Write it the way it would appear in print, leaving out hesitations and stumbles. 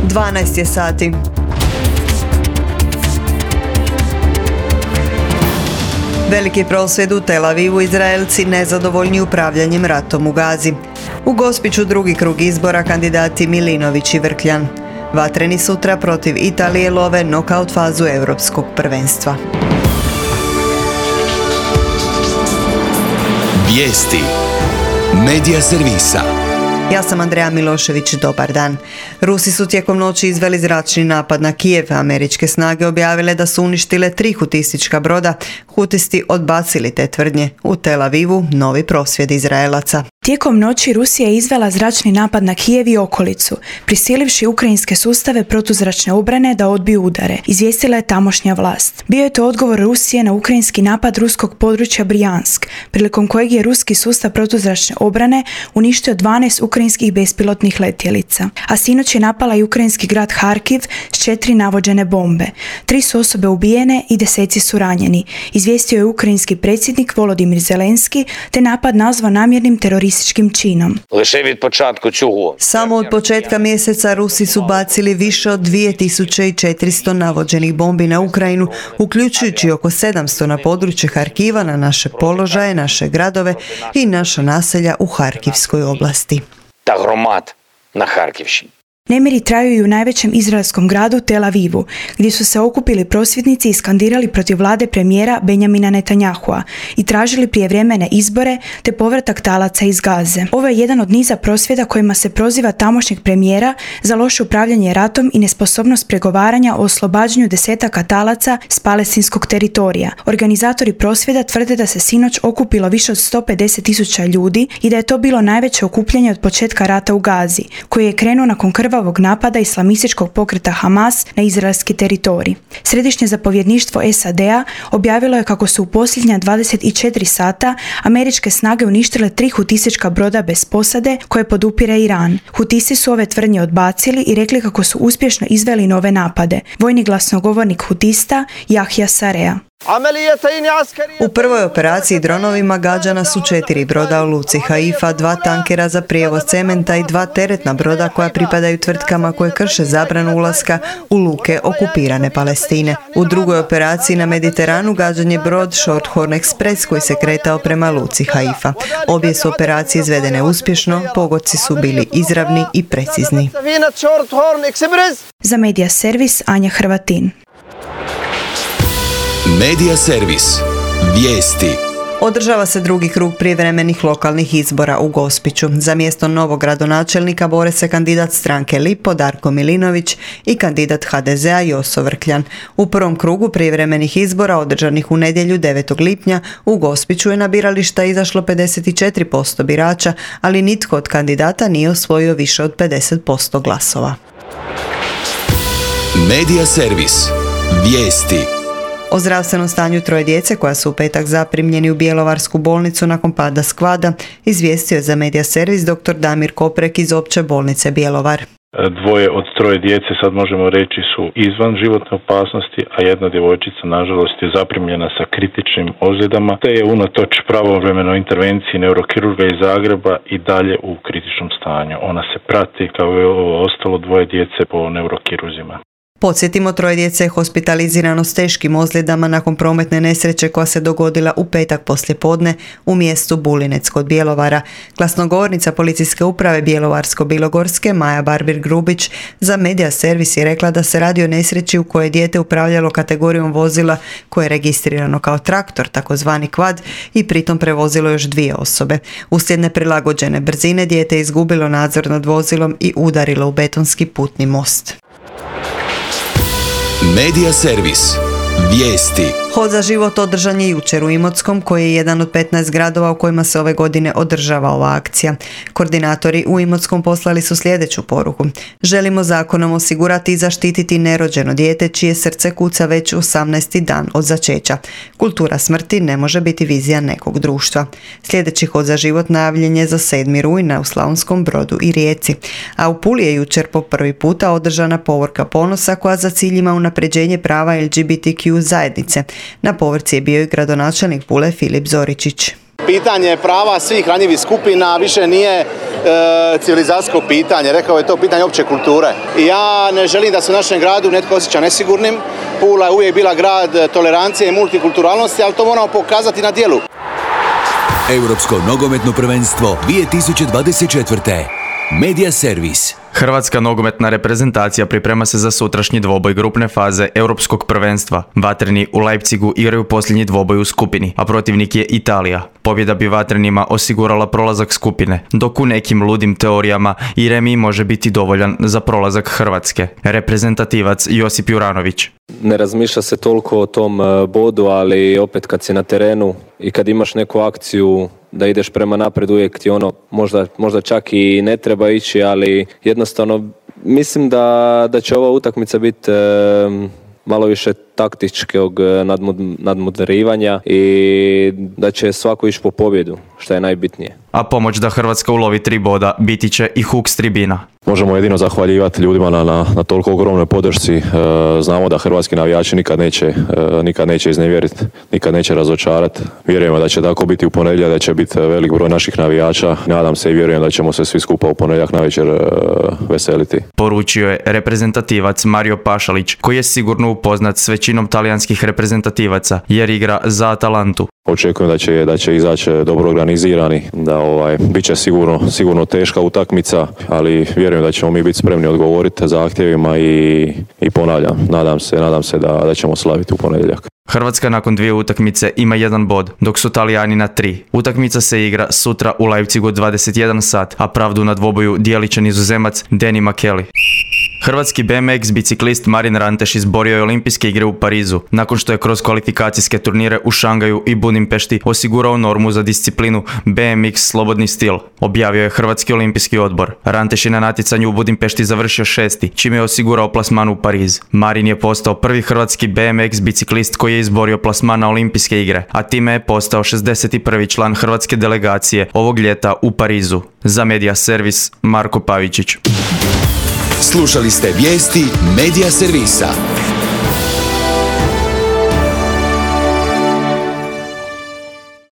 12 je sati. Veliki prosvjed u Tel Avivu, Izraelci nezadovoljni upravljanjem ratom u Gazi. U Gospiću drugi krug izbora, kandidati Milinović i Vrkljan. Vatreni sutra protiv Italije love nokaut fazu europskog prvenstva. Vijesti Medija servisa. Ja sam Andreja Milošević, dobar dan. Rusi su tijekom noći izveli zračni napad na Kijev. Američke snage objavile da su uništile 3 hutistička broda. Hutisti odbacili te tvrdnje. U Tel Avivu novi prosvjed Izraelaca. Tijekom noći Rusija je izvela zračni napad na Kijev i okolicu, prisilivši ukrajinske sustave protuzračne obrane da odbiju udare, izvijestila je tamošnja vlast. Bio je to odgovor Rusije na ukrajinski napad ruskog područja Brijansk, prilikom kojeg je ruski sustav protuzračne obrane uništio 12 ukrajinskih bespilotnih letjelica. A sinoć je napala i ukrajinski grad Harkiv s 4 navođene bombe. 3 su osobe ubijene i 10 su ranjeni, izvijestio je ukrajinski predsjednik Volodimir Zelenski, te napad nazvao namjernim terorističkim činom. Samo od početka mjeseca Rusi su bacili više od 2400 navođenih bombi na Ukrajinu, uključujući oko 700 na područje Harkiva, na naše položaje, naše gradove i naša naselja u Harkivskoj oblasti. Nemiri traju i u najvećem izraelskom gradu Tel Avivu, gdje su se okupili prosvjednici i skandirali protiv vlade premijera Benjamina Netanjahua i tražili prijevremene izbore te povratak talaca iz Gaze. Ovo je jedan od niza prosvjeda kojima se proziva tamošnjeg premijera za loše upravljanje ratom i nesposobnost pregovaranja o oslobađanju desetaka talaca s palestinskog teritorija. Organizatori prosvjeda tvrde da se sinoć okupilo više od 150.000 ljudi i da je to bilo najveće okupljanje od početka rata u Gazi, koji je krenuo nakon krvavog napada islamističkog pokreta Hamas na izraelski teritorij. Središnje zapovjedništvo SAD-a objavilo je kako su u posljednja 24 sata američke snage uništile 3 hutistička broda bez posade koje podupire Iran. Hutisti su ove tvrdnje odbacili i rekli kako su uspješno izveli nove napade. Vojni glasnogovornik hutista Jahja Sarea. U prvoj operaciji dronovima gađana su 4 broda u luci Haifa, 2 tankera za prijevoz cementa i 2 teretna broda koja pripadaju tvrtkama koje krše zabranu ulaska u luke okupirane Palestine. U drugoj operaciji na Mediteranu gađan je brod Shorthorn Express koji se kretao prema luci Haifa. Obje su operacije izvedene uspješno, pogodci su bili izravni i precizni. Za Medija servis Anja Hrvatin. Medija servis. Vijesti. Održava se drugi krug prijevremenih lokalnih izbora u Gospiću. Za mjesto novog gradonačelnika bore se kandidat stranke Lipo Darko Milinović i kandidat HDZ-a Joso Vrkljan. U prvom krugu prijevremenih izbora održanih u nedjelju 9. lipnja u Gospiću je na birališta izašlo 54% birača, ali nitko od kandidata nije osvojio više od 50% glasova. Medija servis. Vijesti. O zdravstvenom stanju 3 djece koja su u petak zaprimljeni u Bjelovarsku bolnicu nakon pada skvada izvijestio je za Medija servis dr. Damir Koprek iz Opće bolnice Bjelovar. 2 od 3 djece, sad možemo reći, su izvan životne opasnosti, a jedna djevojčica nažalost je zaprimljena sa kritičnim ozljedama, te je unatoč pravovremenoj intervenciji neurokirurga iz Zagreba i dalje u kritičnom stanju. Ona se prati kao i ostalo 2 djece po neurokiruzima. Podsjetimo, 3 djece je hospitalizirano s teškim ozljedama nakon prometne nesreće koja se dogodila u petak poslijepodne u mjestu Bulinec kod Bjelovara. Glasnogovornica policijske uprave Bjelovarsko-bilogorske Maja Barbir-Grubić za Medija servis je rekla da se radi o nesreći u kojoj je dijete upravljalo kategorijom vozila koje je registrirano kao traktor, takozvani kvad, i pritom prevozilo još 2 osobe. Uslijed neprilagođene brzine dijete je izgubilo nadzor nad vozilom i udarilo u betonski putni most. Medija servis. Vijesti. Hod za život održan je jučer u Imotskom, koji je jedan od 15 gradova u kojima se ove godine održava ova akcija. Koordinatori u Imotskom poslali su sljedeću poruku. Želimo zakonom osigurati i zaštititi nerođeno dijete čije srce kuca već 18. dan od začeća. Kultura smrti ne može biti vizija nekog društva. Sljedeći hod za život najavljen je za 7. rujna u Slavonskom Brodu i Rijeci. A u Puli je jučer po prvi puta održana povorka ponosa koja za cilj ima unapređenje prava LGBTQ zajednice. Na povorci je bio i gradonačelnik Pule Filip Zoričić. Pitanje prava svih ranjivih skupina više nije civilizacijsko pitanje, rekao je to pitanje opće kulture. I ja ne želim da se u našem gradu netko osjeća nesigurnim. Pula je uvijek bila grad tolerancije i multikulturalnosti, ali to moramo pokazati na djelu. Europsko nogometno prvenstvo 2024. Media Servis. Hrvatska nogometna reprezentacija priprema se za sutrašnji dvoboj grupne faze Europskog prvenstva. Vatreni u Leipzigu igraju posljednji dvoboj u skupini, a protivnik je Italija. Pobjeda bi Vatrenima osigurala prolazak skupine, dok u nekim ludim teorijama i remi može biti dovoljan za prolazak Hrvatske. Reprezentativac Josip Juranović. Ne razmišlja se toliko o tom bodu, ali opet kad si na terenu i kad imaš neku akciju da ideš prema napred, uvijek ti možda čak i ne treba ići, ali jednostavno mislim da će ova utakmica biti malo više taktičkog nadmoderivanja i da će svako ići po pobjedu, što je najbitnije. A pomoć da Hrvatska ulovi 3 boda biti će i huk s tribina. Možemo jedino zahvaljivati ljudima na toliko ogromnoj podršci. Znamo da hrvatski navijači nikad neće iznevjeriti, nikad neće razočarati. Vjerujemo da će tako biti u ponedjeljak, da će biti velik broj naših navijača. Nadam se i vjerujem da ćemo se svi skupa u ponedjeljak navečer veseliti. Poručio je reprezentativac Mario Pašalić, koji je sigurno upoznat s većinom talijanskih reprezentativaca jer igra za Atalantu. Očekujem da će izaći dobro organizirani, da bit će sigurno teška utakmica, ali vjerujem da ćemo mi biti spremni odgovoriti zahtjevima i ponavljam, nadam se da ćemo slaviti u ponedjeljak. Hrvatska nakon 2 utakmice ima 1 bod, dok su Talijani na 3. Utakmica se igra sutra u Leipzigu 21 sat, a pravdu na dvoboju dijelit će Nizozemac Danny McKelly. Hrvatski BMX biciklist Marin Ranteš izborio je olimpijske igre u Parizu, nakon što je kroz kvalifikacijske turnire u Šangaju i Budimpešti osigurao normu za disciplinu BMX slobodni stil, objavio je Hrvatski olimpijski odbor. Ranteš je na natjecanju u Budimpešti završio 6. čime je osigurao plasman u Pariz. Marin je postao prvi hrvatski BMX biciklist koji je izborio plasman na olimpijske igre, a time je postao 61. član hrvatske delegacije ovog ljeta u Parizu. Za Media Servis, Marko Pavičić. Slušali ste vijesti Media Servisa.